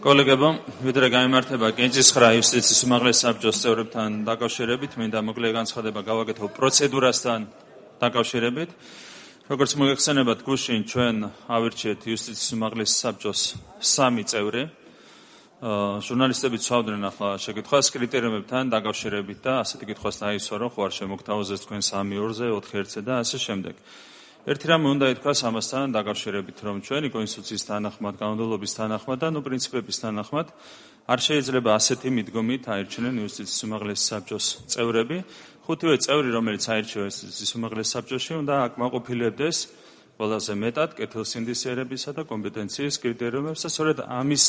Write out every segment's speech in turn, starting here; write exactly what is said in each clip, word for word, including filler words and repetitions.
კოლეგებო, ვიდრე გაიმართება კენჭისხრა იუსტიციის უმაღლეს საბჭოს წევრებთან დაკავშირებით, მინდა მოკლე განცხადება გავაკეთო პროცედურასთან დაკავშირებით. როგორც მოგეხსენებათ, გუშინ ჩვენ ავირჩიეთ იუსტიციის უმაღლეს საბჭოს სამი წევრი. ჟურნალისტები ცვავდნენ ახლა შეკითხვას კრიტერიუმებთან დაკავშირებით და ასეთი კითხვას დაისვა, რომ ხო არ შემოგთავაზეს თქვენ სამი ორზე, ოთხი ერთზე და ასე შემდეგ. ერთი რამე უნდა ითქვას ამასთან დაკავშირებით, რომ ჩვენი კონსტიტუციის თანახმად, კანონმდებლობის თანახმად და ნუ პრინციპების თანახმად არ შეიძლება ასეთი მიდგომით აირჩინენ იუსტიციის უმაღლეს საბჭოს წევრები. ხუთივე წევრი, რომელიც აირჩივა იუსტიციის უმაღლეს საბჭოში, უნდა აკმაყოფილებდეს ყველაზე მეტად კეთილსინდისიერებისა და კომპეტენციის კრიტერიუმებს და სწორედ ამის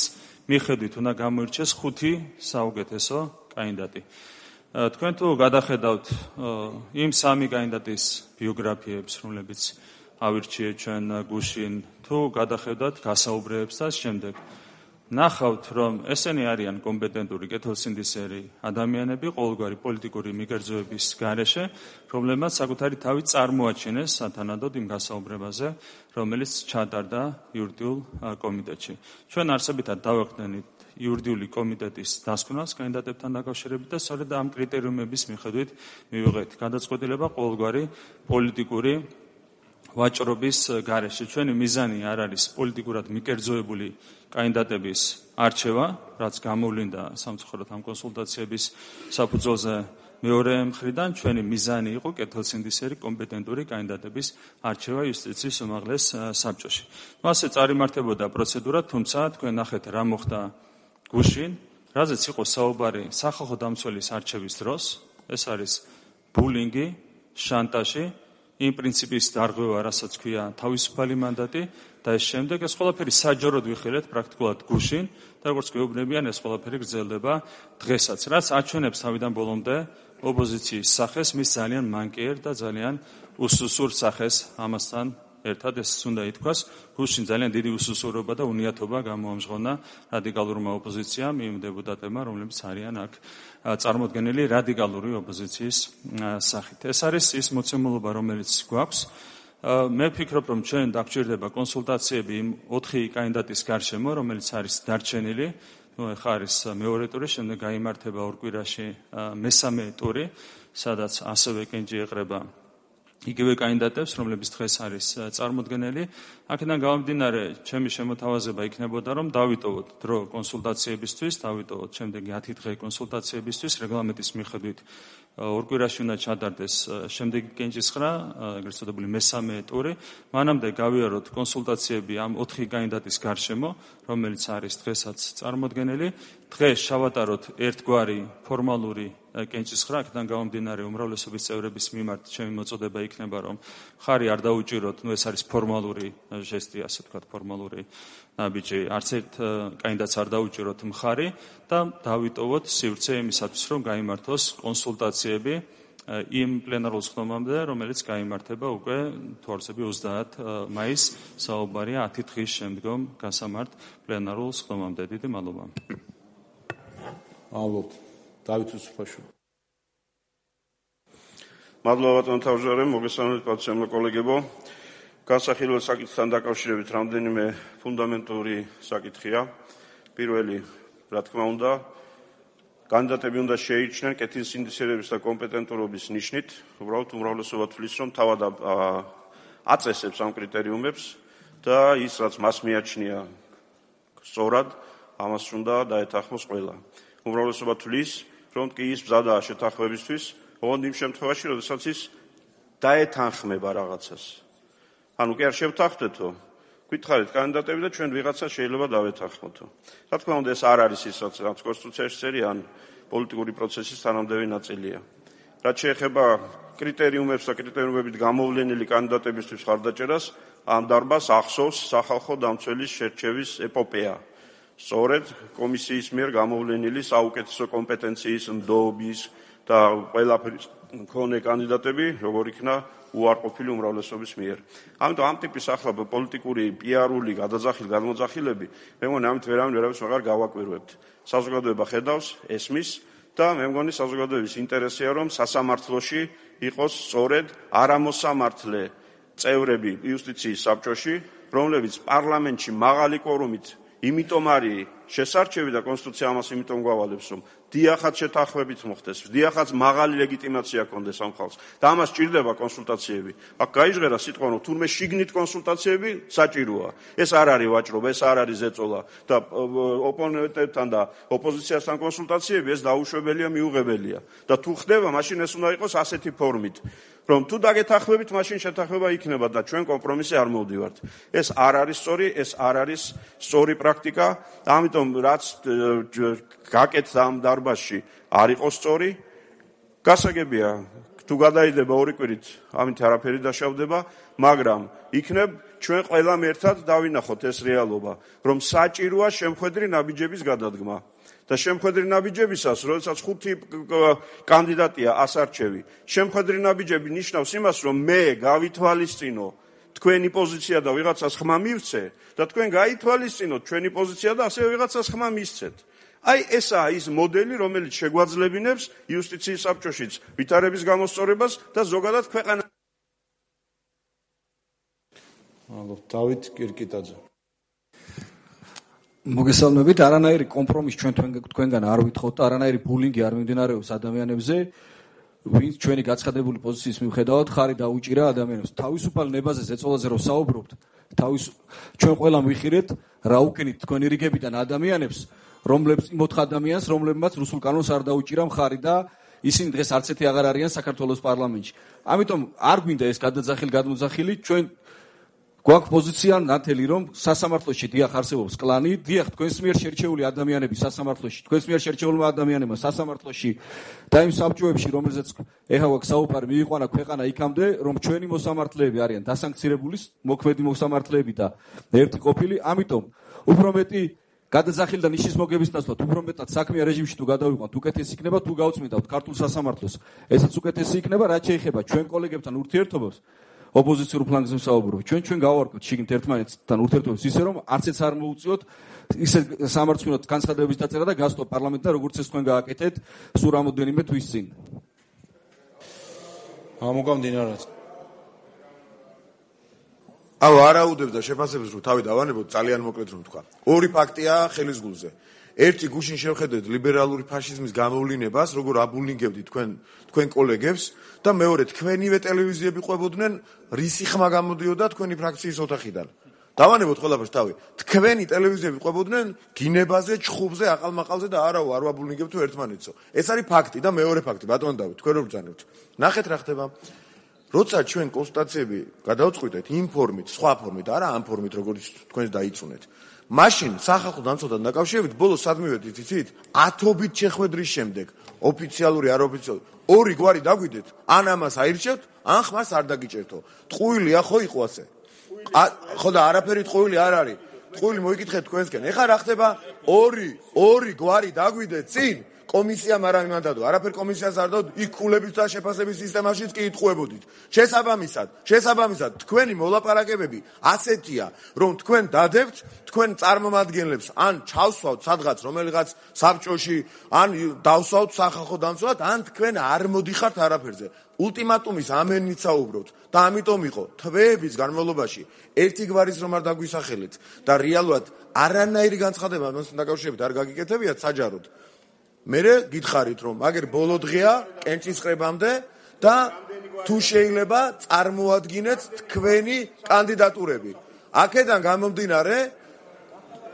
მიხედვით უნდა გამოირჩეს ხუთი საუკეთესო კანდიდატი. თქვენ თუ გადახედავთ იმ სამი კანდიდატის ბიოგრაფიებს, რომლებიც ავირჩიეთ ჩვენ გუშინ, თუ გადახედავთ გასაუბრებებს და შემდეგ, ნახავთ, რომ ესენი არიან კომპეტენტური კეთილსინდისიერი ადამიანები ყოველგვარი პოლიტიკური მიგერძოების გარეშე, რომლებმაც საკუთარი თავი წარმოაჩინეს სათანადოდ იმ გასაუბრებაზე, რომელიც ჩატარდა იურიდიულ კომიტეტში. ჩვენ არსებითად დავახდენით იურიდიული კომიტეტის დასკვნას კანდიდატებთან დაკავშირებით და სწორედ ამ კრიტერიუმების მიხედვით მივიღეთ გადაწყვეტილება ყოველგვარი პოლიტიკური ვაჭრობის გარეშე. ჩვენი მიზანი არ არის პოლიტიკურად მიკერძოებული კანდიდატების არჩევა, რაც გამოვლინდა სამწუხაროდ ამ კონსულტაციების საფუძველზე მეორე მხრიდან, ჩვენი მიზანი იყო კეთილსინდისიერი კომპეტენტური კანდიდატების არჩევა იუსტიციის უმაღლეს საბჭოში. ასე წარიმართებოდა პროცედურა, თუმცა თქვენ ნახეთ რა მოხდა გუშინ, რაზეც იყო საუბარი სახალხო დამცველის არჩევის დროს, ეს არის ბულინგი, შანტაჟი, იმ პრინციპის დარღვევა, რასაც ქვია თავისუფალი მანდატი და ეს შემდეგ ეს ყველაფერი საჯაროდ ვიხილეთ პრაქტიკულად გუშინ და როგორც გვეუბნებიან, ეს ყველაფერი გრძელდება დღესაც, რაც აჩვენებს თავიდან ბოლომდე ოპოზიციის სახეს, მის ძალიან მანკიერ და ძალიან უსუსურ სახეს ამასთან ერთად ეს უნდა ითქვას, გუშინ ძალიან დიდი უსუსურობა და უნიათობა გამოამჟღავნა რადიკალურმა ოპოზიციამ, იმ დეპუტატებმა, რომლებიც არიან აქ წარმოდგენილი რადიკალური ოპოზიციის სახით. ეს არის ის მოცემულობა, რომელიც გვაქვს. მე ვფიქრობ, რომ ჩვენ დაგჭირდება კონსულტაციები იმ ოთხი კანდიდატის გარშემო, რომელიც არის დარჩენილი. ნუ ახლა არის მეორე ტური, შემდეგ გაიმართება ორ კვირაში მესამე ტური, სადაც ასევე კენჭი ეყრება იგივე კანდიდატებს, რომლებიც დღეს არის წარმოდგენილი. აქედან გამომდინარე, ჩემი შემოთავაზება იქნებოდა, რომ დავიტოვოთ დრო კონსულტაციებისთვის, დავიტოვოთ შემდეგი ათი დღე კონსულტაციებისთვის, რეგლამენტის მიხედვით ორ კვირაში უნდა ჩატარდეს შემდეგი კენჭისხრა, ეგრეთ წოდებული მესამე ტური. მანამდე გავიაროთ კონსულტაციები ამ ოთხი კანდიდატის გარშემო, რომელიც არის დღესაც წარმოდგენილი. დღეს შავატაროთ ერთგვარი ფორმალური კენჭისხრა, აქედან გამომდინარე უმრავლესობის წევრების მიმართ ჩემი მოწოდება იქნება, რომ მხარი არ დაუჭიროთ, ნუ ეს არის ფორმალური ჟესტი, ასე ვთქვათ, ფორმალური ნაბიჯი, არც ერთ კანდიდატს არ დაუჭიროთ მხარი და დავიტოვოთ სივრცე იმისათვის, რომ გაიმართოს კონსულტაციები იმ პლენარულ სხდომამდე, რომელიც გაიმართება უკვე თუ არ ვცდები ოცდაათი მაისს, საუბარია ათი დღის შემდგომ გასამართ პლენარულ სხდომამდე. დიდი მადლობა. მადლობთ. დავით უსუფაშვილი. მადლობა ბატონო თავმჯდომარე, მოგესალმებით პატივისცემლო კოლეგებო. განსახილველ საკითხთან დაკავშირებით რამდენიმე ფუნდამენტური საკითხია. პირველი, რა თქმა უნდა, კანდიდატები უნდა შეირჩნენ კეთილსინდისიერების და კომპეტენტურობის ნიშნით, უბრალოდ უმრავლესობა თვლის, რომ თავად აწესებს ამ კრიტერიუმებს და ის, რაც მას მიაჩნია სწორად, ამას უნდა დაეთანხმოს ყველა. უმრავლესობა თვლის, რომ კი ის მზადაა შეთანხმებისთვის, ოღონდ იმ შემთხვევაში, როდესაც ის დაეთანხმება რაღაცას. ანუ კი არ შევთანხმდეთო, გვითხარით კანდიდატები და ჩვენ ვიღაცა შეიძლება დავეთანხმოთო. რა თქმა უნდა, ეს არ არის ის, რაც კონსტიტუციაში წერია, ან პოლიტიკური პროცესის თანამდებობი ნაწილია. რაც შეეხება კრიტერიუმებს და კრიტერიუმებით გამოვლენილი კანდიდატებისთვის ხარდაჭერას, ამ დარბაზს ახსოვს სახალხო დამცველის შერჩევის ეპოპეა. სწორედ კომისიის მიერ გამოვლენილი საუკეთესო კომპეტენციის, ნდობის და ყველაფრის მქონე კანდიდატები, როგორ იქნა უარყოფილი უმრავლესობის მიერ. ამიტომ ამ ტიპის ახლა პოლიტიკური, პიარული, გადაძახილი, გადმოძახილები, მე მგონი ამით ვერავინ ვერავის აღარ გავაკვირვებთ. საზოგადოება ხედავს, ესმის და მე მგონი საზოგადოების ინტერესია, რომ სასამართლოში იყოს სწორედ არამოსამართლე წევრები იუსტიციის საბჭოში, რომლებიც პარლამენტში მაღალი კვორუმით იმიტომ არის შესარჩევი და კონსტიტუცია ამას იმიტომ გვავალებს, რომ დიახაც შეთანხმებით მოხდეს, დიახაც მაღალი ლეგიტიმაცია კონდეს ამ ხალხს და ამას ჭირდება კონსულტაციები. აქ გაიჟღერა სიტყვა, რომ თურმე შიგნით კონსულტაციები საჭიროა. ეს არ არის ვაჭრობა, ეს არ არის ზეწოლა და ოპონენტებთან და ოპოზიციასთან კონსულტაციები ეს დაუშვებელია, მიუღებელია. და თუ ხდება, მაშინ ეს უნდა იყოს ასეთი ფორმით, რომ თუ დაგეთანხმებით, მაშინ შეთანხმება იქნება და ჩვენ კომპრომისზე არ მოვდივართ. ეს არ არის სწორი, ეს არ არის სწორი პრაქტიკა, ამიტომ რაც გაკეთდა ამ დარბაზში არ იყო სწორი. გასაგებია, თუ გადაიდება ორი კვირით, ამით არაფერი დაშავდება, მაგრამ იქნებ ჩვენ ყველამ ერთად დავინახოთ ეს რეალობა, რომ საჭიროა შემხედრი ნაბიჯების გადადგმა. და შემხედრი ნაბიჯებისას, როდესაც ხუთი კანდიდატია ასარჩევი, შემხედრი ნაბიჯები ნიშნავს იმას, რომ მე გავითვალისწინო თქვენი პოზიცია და ვიღაცას ხმა მივცე და თქვენ გაითვალისწინოთ ჩვენი პოზიცია და ასევე ვიღაცას ხმა მისცეთ. აი ესაა ის მოდელი, რომელიც შეგვაძლებინებს იუსტიციის საბჭოშიც ვითარების გამოსწორებას და ზოგადად ქვეყანა. მადლობთ, დავით კირკიტაძე. მოგესალმებით, არანაირი კომპრომისი ჩვენ თქვენგან არ ვითხოვთ, არანაირი ბულინგი არ მიმდინარეობს ადამიანებზე, ვინც ჩვენი გაცხადებული პოზიციის მიუხედავად ხარი დაუჭირა ადამიანებს. თავისუფალ ნებაზე ზეწოლაზე რომ საუბრობთ, თავის ჩვენ ყველა მივიხილეთ რა უკენით თქვენი რიგებიდან ადამიანებს, რომლებიც იმოთხ ადამიანს, რომლებმაც რუსულ კანონს არ დაუჭირა მხარი და ისინი დღეს არც ერთი აღარ არიან საქართველოს პარლამენტში. ამიტომ არ გვინდა ეს გადაძახილი გადმოძახილი, ჩვენ გვაქვს პოზიცია ნათელი, რომ სასამართლოში დიახ არსებობს კლანი, დიახ თქვენს მიერ შერჩეული ადამიანები სასამართლოში, თქვენს მიერ შერჩეულმა ადამიანებმა სასამართლოში და იმ საბჭოებში, რომელზეც ეხლა გვაქვს საუბარი, მიიყვანა ქვეყანა იქამდე, რომ ჩვენი მოსამართლეები არიან დასანქცირებული, მოქმედი მოსამართლეები და ერთი ყოფილი, ამიტომ უფრო მეტი გადაძახილი და ნიშნის მოგების ნაცვლად, უფრო მეტად საქმიან რეჟიმში თუ გადავიყვანთ, უკეთესი იქნება თუ გავწმინდავთ ქართულ სასამართლოს. ესაც უკეთესი იქნება, რაც შეეხება ჩვენ კოლეგებთან ურთიერთობას. ოპოზიციურ ფლანგზე ვსაუბრობ. ჩვენ ჩვენ გავარკვევთ შიგნით ერთმანეთთან ურთიერთობას ისე რომ არც ეს არ მოუწიოთ ისე სამართლიანად განცხადებების დაწერა და გასწო პარლამენტთან როგორც ეს თქვენ გააკეთეთ სულ რამოდენიმე თვის წინ. ამოგამდინარეთ. აუ არაუდებს და შეფასებს რომ თავი დავანებოთ ძალიან მოკლედ რომ თქვა. ორი ფაქტია ხელის გულზე. ერთი გუშინ შევხედეთ ლიბერალური ფაშიზმის გამოვლინებას, როგორ აბულინგებდით თქვენ თქვენ კოლეგებს და მეორე თქვენივე ტელევიზიები ყვებოდნენ რისი ხმა გამოდიოდა თქვენი ფრაქციის ოთახიდან. დავანებოთ ყველაფერს თავი. თქვენი ტელევიზიები ყვებოდნენ გინებაზე, ჩხუბზე, აყალმაყალზე და არაო არ ვაბულინგებთ ერთმანეთსო. ეს არის ფაქტი და მეორე ფაქტი, ბატონ დავით, თქვენ რო ბრძანებთ. ნახეთ რა ხდება. როცა ჩვენ კონსტატაციები გადავწყვიტეთ იმ ფორმით, სხვა ფორმით, არა ამ ფორმით, როგორც თქვენ დაიწუნეთ. მაშინ სახალხო დამცველთან დაკავშირებით ბოლოს სად მივედით იცით? ათობით შეხვედრის შემდეგ, ოფიციალური არ ოფიციალური, ორი გვარი დაგვიდეთ, ან ამას აირჩევთ, ან ხმას არ დაგიჭერთო. ტყუილია ხო იყო ასე? ხო და არაფერი ტყუილი არ არის. ტყუილი მოიკითხეთ თქვენსკენ. ეხლა რა ხდება? ორი, ორი გვარი დაგვიდეთ წინ. კომისიამ არ ამანდადო, არაფერ კომისიას არ დადო, იქ ქულების და შეფასების სისტემაშიც კი იტყუებოდით. შესაბამისად, შესაბამისად, თქვენი მოლაპარაკებები ასეთია, რომ თქვენ დადებთ, თქვენ წარმომადგენლებს ან ჩავსვავთ სადღაც რომელიღაც საბჭოში, ან დავსვავთ სახალხო დამცველად, ან თქვენ არ მოდიხართ არაფერზე. ულტიმატუმის ამენით საუბრობთ და ამიტომ იყო თვეების განმავლობაში ერთი გვარის რომ არ დაგვისახელეთ და რეალურად არანაირი განცხადება მასთან დაკავშირებით არ გაგიკეთებიათ საჯაროდ. მერე გითხარით რომ მაგერ ბოლო დღეა კენჭისყრებამდე და თუ შეიძლება წარმოადგინეთ თქვენი კანდიდატურები. აქედან გამომდინარე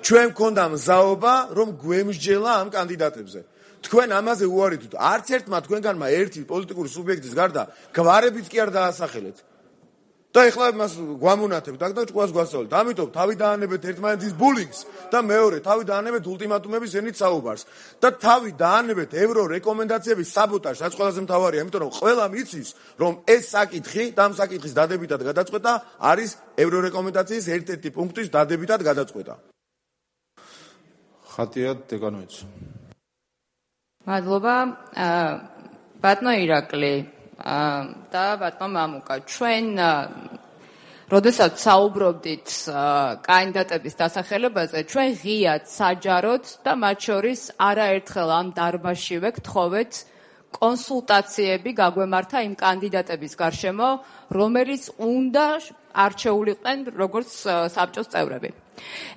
ჩვენ მქონდა მზაობა რომ გვემსჯელა ამ კანდიდატებზე. თქვენ ამაზე უარით, არც ერთმა თქვენგანმა ერთი პოლიტიკური სუბიექტის გარდა გვარებიც კი არ დაასახელეთ. და ეხლა მას გვამონათებთ აქ და ჭკუას გვასწავლეთ. ამიტომ თავი დაანებეთ ერთმანეთის ბულინგს და მეორე თავი დაანებეთ ულტიმატუმების ენით საუბარს და თავი დაანებეთ ევრო რეკომენდაციების საბოტაჟს, რაც ყველაზე მთავარია, იმიტომ რომ ყველამ იცის, რომ ეს საკითხი და ამ საკითხის დადებითად გადაწყვეტა არის ევრო რეკომენდაციის ერთ-ერთი პუნქტის დადებითად გადაწყვეტა. ხატია დეკანოიც. მადლობა, ბატონო ირაკლი და ბატონო მამუკა, ჩვენ როდესაც საუბრობდით კანდიდატების დასახელებაზე, ჩვენ ღიად საჯაროდ და მათ შორის არაერთხელ ამ დარბაზშივე გთხოვეთ კონსულტაციები გაგვემართა იმ კანდიდატების გარშემო, რომელიც უნდა არჩეულიყვნენ როგორც საბჭოს წევრები.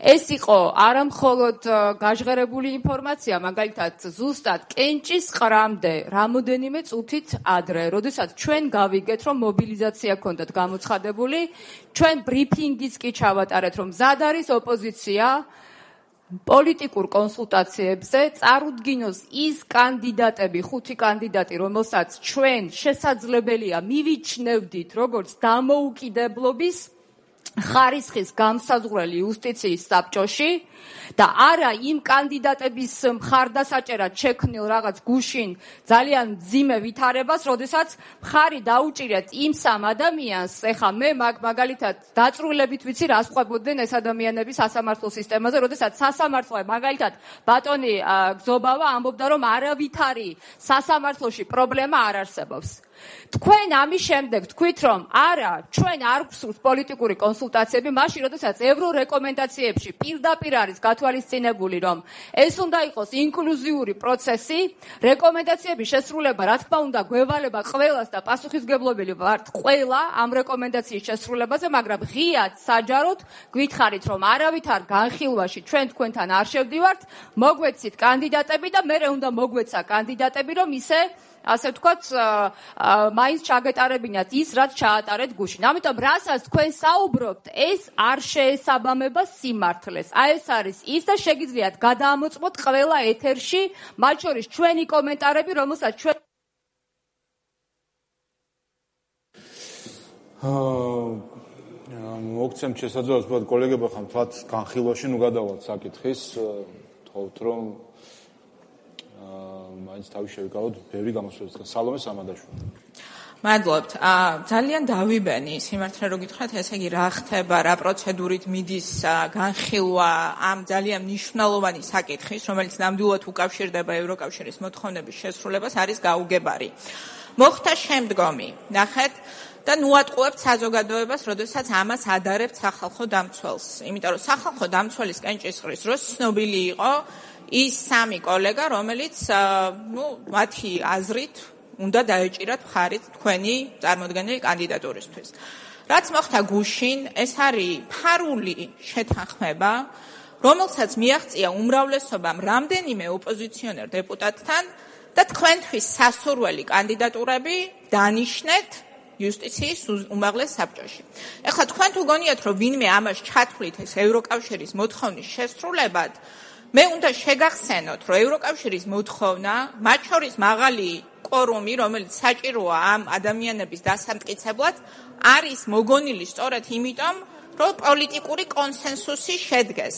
ეს იყო არა მხოლოდ გაჟღერებული ინფორმაცია, მაგალითად ზუსტად კენჭის ყრამდე რამოდენიმე წუთით ადრე, როდესაც ჩვენ გავიგეთ, რომ მობილიზაცია ქონდათ გამოცხადებული, ჩვენ ბრიფინგიც კი ჩავატარეთ, რომ მზად არის ოპოზიცია პოლიტიკურ კონსულტაციებზე წარუდგინოს ის კანდიდატები, ხუთი კანდიდატი, რომელსაც ჩვენ შესაძლებელია მივიჩნევდით როგორც დამოუკიდებლობის ხარისხის გამსაზღვრელი იუსტიციის საბჭოში და არა იმ კანდიდატების მხარდასაჭერად შექმნილ რაღაც გუშინ ძალიან მძიმე ვითარებას, როდესაც მხარი დაუჭირეთ იმ სამ ადამიანს, ეხა მე მაგალითად დაწვრილებით ვიცი რას ყვებოდნენ ეს ადამიანები სასამართლო სისტემაზე, როდესაც სასამართლო მაგალითად ბატონი გზობავა ამბობდა, რომ არავითარი სასამართლოში პრობლემა არ არსებობს. თქვენ ამის შემდეგ თქვით, რომ არა, ჩვენ არ გვსურს პოლიტიკური კონსულტაციები, მაშინ როდესაც ევრორეკომენდაციებში პირდაპირ არის გათვალისწინებული, რომ ეს უნდა იყოს ინკლუზიური პროცესი, რეკომენდაციების შესრულება, რა თქმა უნდა, გვევალება ყველას და პასუხისმგებლობელი ვართ ყველა ამ რეკომენდაციის შესრულებაზე, მაგრამ ღიად საჯაროდ გითხარით, რომ არავითარ განხილვაში ჩვენ თქვენთან არ შევდივართ, მოგვეცით კანდიდატები და მერე უნდა მოგვეცა კანდიდატები, რომ ისე ასე ვთქვათ, მაინც ჩაგეტარებინათ ის, რაც ჩაატარეთ გუშინ. ამიტომ რასაც თქვენ საუბრობთ, ეს არ შეესაბამება სიმართლეს. აი ეს არის ის და შეგიძლიათ გადაამოწმოთ ყველა ეთერში, მათ შორის ჩვენი კომენტარები, რომელსაც ჩვენ მოგცემთ შესაძლებლობას, ვთქვათ, კოლეგებო, ხან თქვათ განხილვაში ნუ გადავალთ საკითხის, თხოვთ რომ მაინც თავი შევიკავოთ ბევრი გამოსვლები. სალომე სამადაშვილი. მადლობთ. ძალიან დავიბენი სიმართლე რო გითხრათ, ესე იგი რა ხდება, რა პროცედურით მიდის განხილვა ამ ძალიან მნიშვნელოვანი საკითხის, რომელიც ნამდვილად უკავშირდება ევროკავშირის მოთხოვნების შესრულებას, არის გაუგებარი. მოხდა შემდგომი. ნახეთ და ნუ ატყუებთ საზოგადოებას, როდესაც ამას ადარებთ სახალხო დამცველს. იმიტომ რომ სახალხო დამცველის კენჭისყრის დროს ცნობილი იყო ის სამი კოლეგა, რომელიც, ნუ, მათი აზრით უნდა დაეჭირათ მხარი თქვენი წარმოდგენილი კანდიდატურისთვის. რაც მოხდა გუშინ, ეს არის ფარული შეთანხმება, რომელსაც მიაღწია უმრავლესობამ რამდენიმე ოპოზიციონერ დეპუტატთან და თქვენთვის სასურველი კანდიდატურები დანიშნეთ იუსტიციის უმაღლეს საბჭოში. ეხლა თქვენ თუ გონიათ, რომ ვინმე ამას ჩათვლით ეს ევროკავშირის მოთხოვნის შესრულებად, მე უნდა შეგახსენოთ, რომ ევროკავშირის მოთხოვნა, მათ შორის მაღალი კვორუმი, რომელიც საჭიროა ამ ადამიანების დასამტკიცებლად, არის მოგონილი სწორედ იმიტომ, რომ პოლიტიკური კონსენსუსი შედგეს.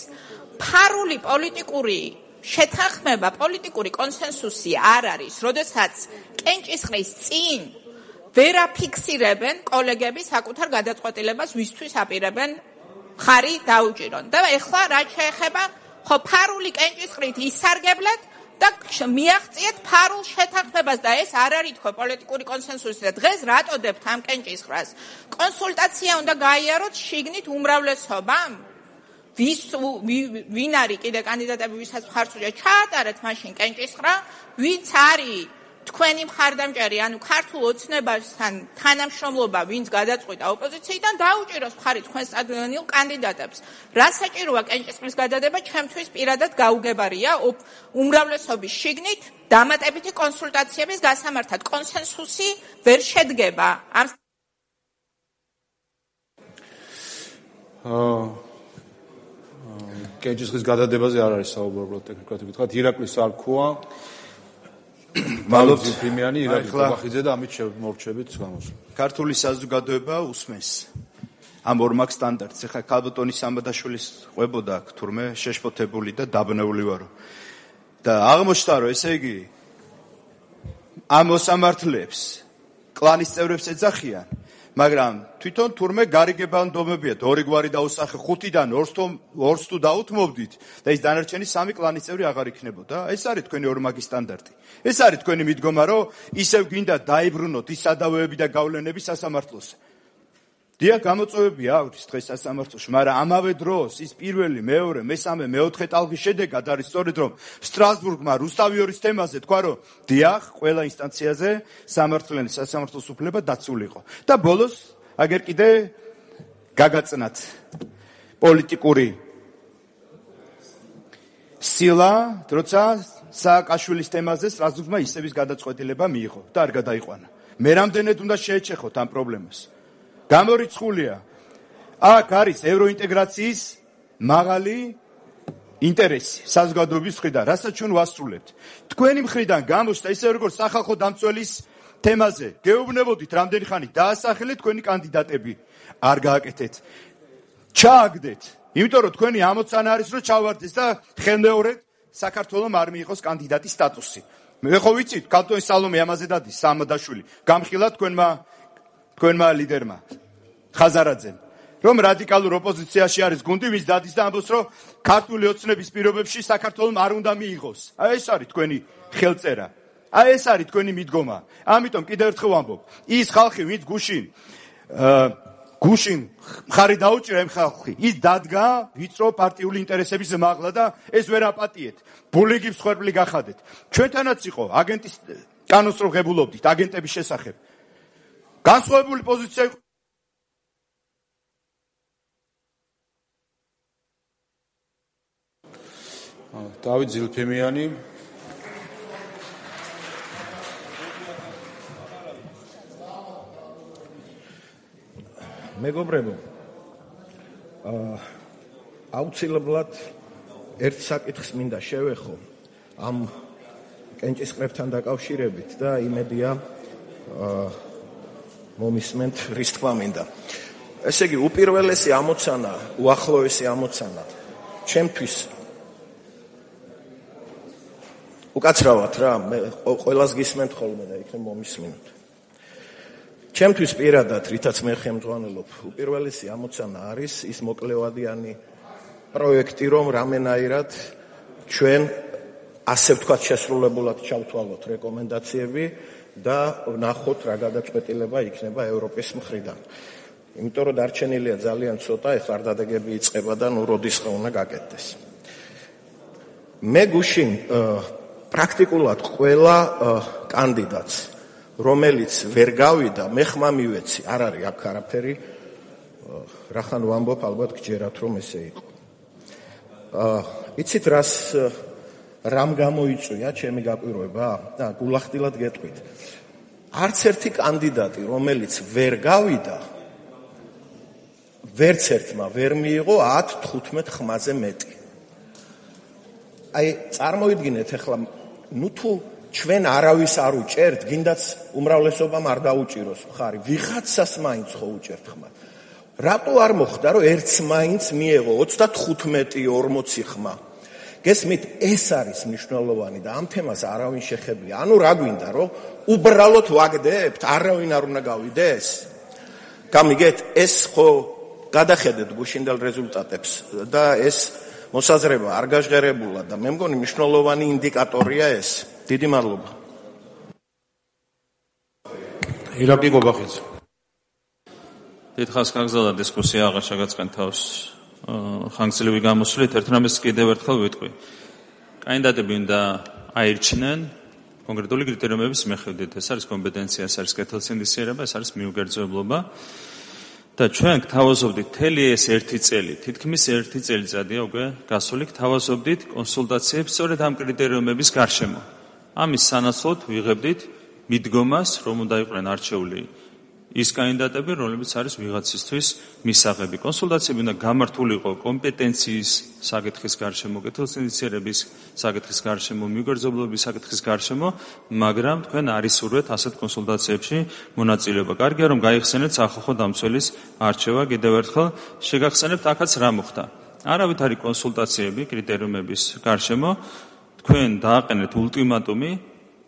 ფარული პოლიტიკური შეთანხმება, პოლიტიკური კონსენსუსი არ არის, როდესაც კენჭისყრის წინ ვერ აფიქსირებენ კოლეგები საკუთარ გადაწყვეტილებას, ვისთვის აპირებენ მხარი დაუჭირონ. და ეხლა რაც შეეხება ხო ფარული კენჭისყრით ისარგებლეთ და მიაღწიეთ ფარულ შეთანხმებას და ეს არ არის თქო პოლიტიკური კონსენსუსი და დღეს რატოდებთ ამ კენჭისყრას? კონსულტაცია უნდა გაიაროთ შიგნით უმრავლესობამ? ვის ვინ არის კიდე კანდიდატები, ვისაც მხარს უჭერთ, ჩაატარეთ მაშინ კენჭისყრა, ვინც არის თქვენი მხარდამჭერი, ანუ ქართულ ოცნებასთან თანამშრომლობა, ვინც გადაწყვიტა ოპოზიციიდან, დაუჭიროს მხარი თქვენს წარდგენილ კანდიდატებს. რა საჭიროა კენჭისყრის გადადება, ჩემთვის პირადად გაუგებარია უმრავლესობის შიგნით დამატებითი კონსულტაციების გასამართად. კონსენსუსი ვერ შედგება. ამ კენჭისყრის გადადებაზე არ არის საუბრო ტექნიკურად ვიტყვათ. ირაკლის არქოა მადლობთ ფიმიანი, ირაკლი ყაბახიძე და ამით მორჩებით გამოსვლა. ქართული საზოგადოება უსმენს ამ ორმაგ სტანდარტს. ეხლა ქალბატონი სამბადაშვილის ყვებოდა აქ თურმე შეშფოთებული და დაბნეული ვარო. და აღმოჩნდა, რომ ესე იგი ამ მოსამართლეებს კლანის წევრებს ეძახიან, მაგრამ თვითონ თურმე გარიგებანდობებიათ, ორი გვარი დაუსახე, ხუთიდან ორს თუ დაუთმობდით და ის დანარჩენი სამი კლანის წევრი აღარ იქნებოდა. ეს არის თქვენი ორმაგი სტანდარტი. ეს არის თქვენი მიდგომა, რომ ისევ გინდა დაიბრუნოთ ის სადავეები და გავლენები სასამართლოს. დიახ, გამოწვევები აქვს დღეს სასამართლოში, მაგრამ ამავე დროს ის პირველი, მეორე, მესამე, მეოთხე ტალღის შედეგად არის სწორედ რომ სტრასბურგმა რუსთავიორის თემაზე თქვა, რომ დიახ, ყველა ინსტანციაზე სამართლიანი სასამართლოს უფლება დაცულიყო. და ბოლოს აგერ კიდე გაგაწნათ პოლიტიკური სილა, როცა სააკაშვილის თემაზე სტრასბურგმა ისების გადაწყვეტილება მიიღო და არ გადაიყვანა. მე რამდენად უნდა შეეჩეხოთ ამ პრობლემას. გამორიცხულია. აქ არის ევროინტეგრაციის მაღალი ინტერესი საზოგადოების მხრიდან, რასაც ჩვენ ვასრულებთ. თქვენი მხრიდან გამოჩნდა ისე როგორც სახალხო დამცველის თემაზე. გეუბნებოდით რამდენი ხანი დაასახელეთ თქვენი კანდიდატები. არ გააკეთეთ. ჩააგდეთ. იმიტომ რომ თქვენი ამოცანა არის რომ ჩავარდეს და ხელმეორედ საქართველოს არ მიიღოს კანდიდატის სტატუსი. მე ხო ვიცით, კანტონის სალომე ამაზე დადის სამადაშვილი. გამხილა თქვენმა თქვენმა ლიდერმა ხაზარაძემ. რომ რადიკალურ ოპოზიციაში არის გუნდი, ვის დადის და ამბობს, რომ ქართული ოცნების პირობებში საქართველოს არ უნდა მიიღოს. აი ეს არის თქვენი ხელწერა. აი ეს არის თქვენი მიდგომა. ამიტომ კიდევ ერთხელ ვამბობ, ის ხალხი, ვინც გუშინ გუშინ მხარი დაუჭირა იმ ხალხი, ის დადგა ვიწრო პარტიული ინტერესების მაღლა და ეს ვერ აპატიეთ. ბულიგის ხვერპლი გახადეთ. ჩვენთანაც იყო აგენტის კანონს რო ღებულობდით აგენტების შესახებ. განსხვავებული პოზიცია იყო. დავით ზილფემიანი. მეგობრებო, აუცილებლად ერთ საკითხს მინდა შევეხო ამ კენჭისყრებთან დაკავშირებით და იმედია მომისმენთ რის თქმა მინდა. ესე იგი, უპირველესი ამოცანა, უახლოესი ამოცანა ჩემთვის უკაცრავად რა, მე ყველას გისმენთ ხოლმე და იქნებ მომისმინოთ. ჩემთვის პირადად, რითაც მე ხელმძღვანელობ, უპირველესი ამოცანა არის ის მოკლევადიანი პროექტი, რომ რამენაირად ჩვენ ასე ვთქვათ შესრულებულად ჩავთვალოთ რეკომენდაციები და ვნახოთ რა გადაწყვეტილება იქნება ევროპის მხრიდან. იმიტომ რომ დარჩენილია ძალიან ცოტა, ეხლა არდადეგები იწყება და ნუ როდის უნდა გაკეთდეს. მე გუშინ პრაქტიკულად ყველა კანდიდატს, რომელიც ვერ გავიდა, მე ხმა მივეცი, არ არის აქ არაფერი, რახან ვამბობ, ალბათ გჯერათ რომ ესე იყო. იცით რას რამ გამოიწვია ჩემი გაკვირვება და გულახდილად გეტყვით. არც ერთი კანდიდატი, რომელიც ვერ გავიდა, ვერც ერთმა ვერ მიიღო ათ თხუთმეტ ხმაზე მეტი. აი, წარმოიდგინეთ ახლა, ნუ თუ ჩვენ არავის არ უჭერთ, გინდაც უმრავლესობამ არ დაუჭიროს მხარი, ვიღაცას მაინც ხო უჭერთ ხმა. რატო არ მოხდა, რომ ერთს მაინც მიეღო ოცდათხუთმეტი ორმოცი ხმა? გესმით, ეს არის მნიშვნელოვანი და ამ თემას არავინ შეხებია. ანუ რა გვინდა, რომ უბრალოდ ვაგდებთ, არავინ არ უნდა გავიდეს? გამიგეთ, ეს ხო გადახედეთ გუშინდელ რეზულტატებს და ეს მოსაზრება არ გაჟღერებულა და მე მგონი მნიშვნელოვანი ინდიკატორია ეს. დიდი მადლობა. ირაკლი გობახიძე. დიდხანს გაგზავნა დისკუსია, აღარ შეგაწყენ თავს ხანგრძლივი გამოსვლით. ერთ რამეს კიდევ ერთხელ ვიტყვი. კანდიდატები უნდა აირჩნენ კონკრეტული კრიტერიუმების მიხედვით. ეს არის კომპეტენცია, ეს არის კეთილსინდისიერება, ეს არის მიუგერძებლობა. და ჩვენ გთავაზობდით მთელი ეს ერთი წელი, თითქმის ერთი წელიწადია უკვე გასული, გთავაზობდით კონსულტაციებს სწორედ ამ კრიტერიუმების გარშემო. ამის სანაცვლოდ ვიღებდით მიდგომას, რომ უნდა იყვნენ არჩეული ის კანდიდატები, რომლებიც არის ვიღაცისთვის მისაღები. კონსულტაციები უნდა გამართულიყო კომპეტენციის საკითხის გარშემო, კეთილსინდისიერების საკითხის გარშემო, მიუგერძებლობის საკითხის გარშემო, მაგრამ თქვენ არ ისურვეთ ასეთ კონსულტაციებში მონაწილეობა. კარგია რომ გაიხსენეთ სახალხო დამცველის არჩევა. კიდევ ერთხელ შეგახსენებთ აქაც რა მოხდა. არავით არის კონსულტაციები კრიტერიუმების გარშემო. თქვენ დააყენეთ ულტიმატუმი,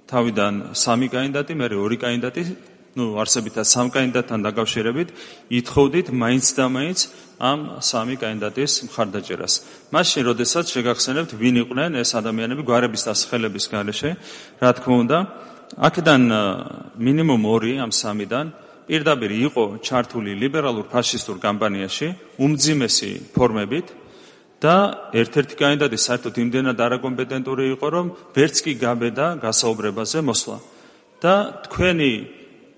თავიდან სამი კანდიდატი, მერე ორი კანდიდატი, ну, არსებითად სამ კანდიდატთან დაკავშირებით, ითხოვდით მაინც და მაინც ამ სამი კანდიდატის მხარდაჭერას. მაშინ, როდესაც შეგახსენებთ, ვინ იყვნენ ეს ადამიანები გვარების დასახელების გარეშე, რა თქმა უნდა, აქედან მინიმუმ ორი ამ სამიდან პირდაპირ იყო ჩართული ლიბერალურ ფაშისტურ კამპანიაში, უმძიმესი ფორმებით და ერთ-ერთი კანდიდატი საერთოდ იმდენად არაკომპეტენტური იყო, რომ ვერც კი გაბედა გასაუბრებაზე მოსვლა. და თქვენი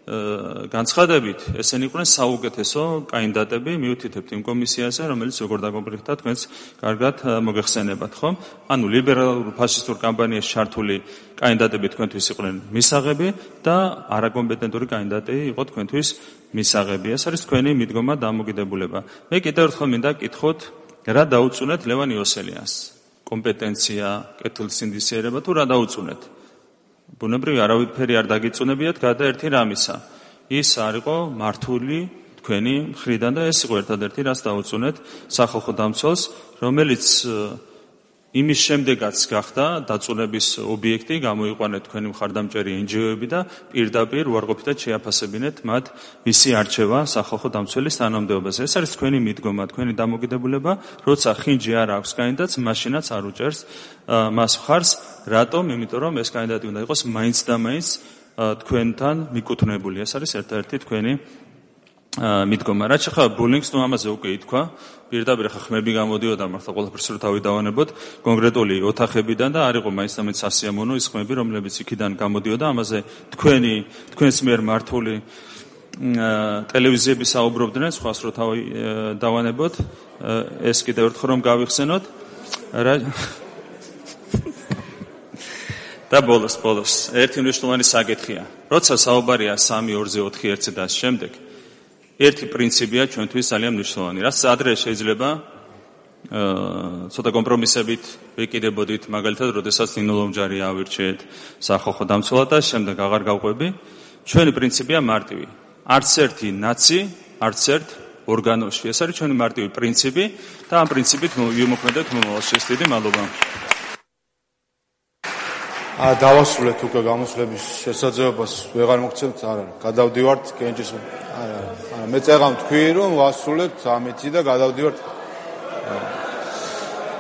განცხადებით ესენი იყვნენ საუკეთესო კანდიდატები მიუთითებთ იმ კომისიაზე, რომელიც როგორ დაგომბრიხდა თქვენს კარგად მოგეხსენებათ, ხო? ანუ ლიბერალურ ფაშისტურ კამპანიაში ჩართული კანდიდატები თქვენთვის იყვნენ მისაღები და არაკომპეტენტური კანდიდატი იყო თქვენთვის მისაღები. ეს არის თქვენი მიდგომა და დამოკიდებულება. მე კიდევ ერთხელ მინდა გკითხოთ, რა დაუწუნეთ ლევან იოსელიანს? კომპეტენცია, კეთილსინდისიერება თუ რა დაუწუნეთ? ბუნებრივი არავითარი არ დაგიწუნებიათ გარდა ერთი რამისა. ის არ იყო მართული თქვენი მხრიდან და ეს იყო ერთადერთი რაც დაუწუნეთ სახალხო დამცველს, რომელიც იმის შემდეგაც გახდა დაწუნების ობიექტი, გამოიყვანეთ თქვენი მხარდამჭერი εν ჯი ო-ები და პირდაპირ უარყოფითად შეაფასებინეთ მათ მისი არჩევა სახალხო დამცველის თანამდებობაზე. ეს არის თქვენი მიდგომა, თქვენი დამოკიდებულება, როცა ხინჯი არ აქვს კანდიდატს, მაშინაც არ უჭერს მას მხარს. რატომ? იმიტომ რომ ეს კანდიდატი უნდა იყოს მაინც და მაინც თქვენთან მიკუთვნებული. ეს არის ერთ-ერთი თქვენი მიდგომა. რაც შეხება ბულინგს, ნუ ამაზე უკვე ითქვა. პირდაპირ ხა ხმები გამოდიოდა, მართლა ყველაფერს რო თავი დავანებოთ კონკრეტული ოთახებიდან და არ იყო მაინც და მაინც სასიამოვნო ის ხმები, რომლებიც იქიდან გამოდიოდა. ამაზე თქვენი თქვენს მიერ მართული ტელევიზიები საუბრობდნენ, სხვას რო თავი დავანებოთ. ეს კიდევ ერთხელ რომ გავიხსენოთ. და ბოლოს, ბოლოს, ერთი მნიშვნელოვანი საკითხია. როცა საუბარია სამი ორზე ოთხი ერთზე და ამ შემდეგ, ერთი პრინციპია ჩვენთვის ძალიან მნიშვნელოვანი. რაც ადრე შეიძლება ცოტა კომპრომისებით ვიკიდებოდით, მაგალითად, როდესაც ნინო ლომჯარი ავირჩიეთ სახალხო დამცველად და შემდეგ აღარ გავყვები. ჩვენი პრინციპია მარტივი. არც ერთი ნაცი, არც ერთ ორგანოში. ეს არის ჩვენი მარტივი პრინციპი და ამ პრინციპით ვიმოქმედებთ მომავალში. დიდი მადლობა. ა დავასრულეთ უკვე გამოსვლების შესაძლებლობას ვეღარ მოგცემთ, არა, გადავდივართ კენჭის. არა, არა, მე წეღავ თქვი რომ ვასრულებთ ამითი და გადავდივართ.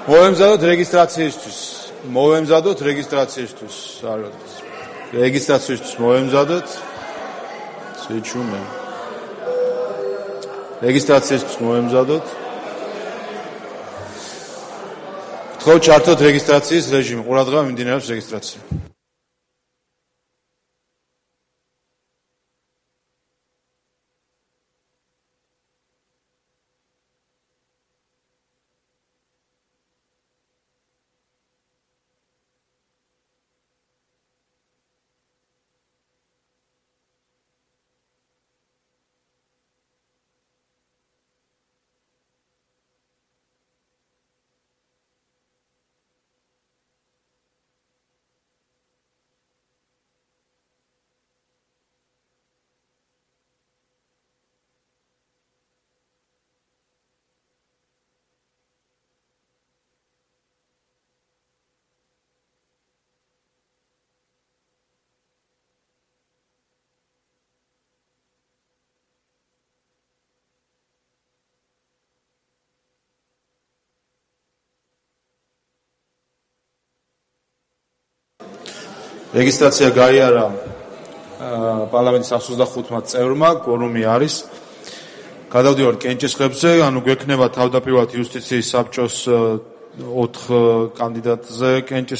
მოვემზადოთ რეგისტრაციისთვის. მოვემზადოთ რეგისტრაციისთვის. არა, რეგისტრაციისთვის მოვემზადოთ. შეჩუმე. რეგისტრაციისთვის მოვემზადოთ. ხო, ჩართოთ რეგისტრაციის რეჟიმი. ყურადღება მიმდინარეობს რეგისტრაცია. რეგისტრაცია გაიარა პარლამენტის ოცდახუთმა წევრმა, კვორუმი არის. გადავდივართ კენჭის ხებზე, ანუ გვექნება თავდაპირველად იუსტიციის საბჭოს ოთხ კანდიდატზე კენჭის